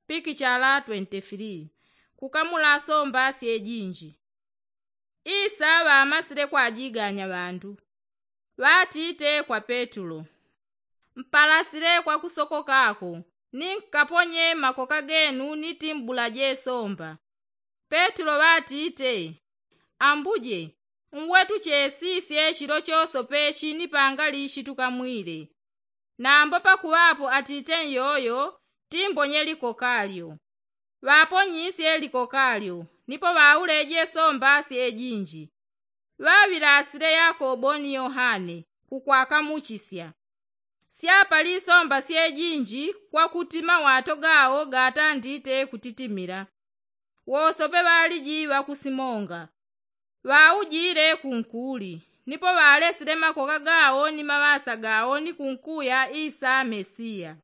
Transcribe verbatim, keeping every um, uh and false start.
pikichala twenti filii. Kukamula somba syejinji. Isa ŵamasile kwajiganya ŵandu, ŵatite kwa petulo, mpalasile kwa kusokokako, ni nkaponye makoka genu ni timbula jesomba. Petulo ŵatite, ambuje, nwetu chesisye chilo chosope chinipanga lishi tukamwile. Nambo pakuŵapo atite nyoyo, timbonye likokalyo. Ŵaponyisye likokalyo, nipo ŵauleje somba syejinji. Ŵaŵilasile yakobo ni yohane kukwakamuchisya. Syapali somba syejinji kwakuti mawato gawo gatandite kutitimila. Wosope ŵaliji ŵakusimonga. Ŵaujile kunkuli, nipo ŵalesile makoka gawo ni maŵasa gawo ni kunkuya isa mesiya.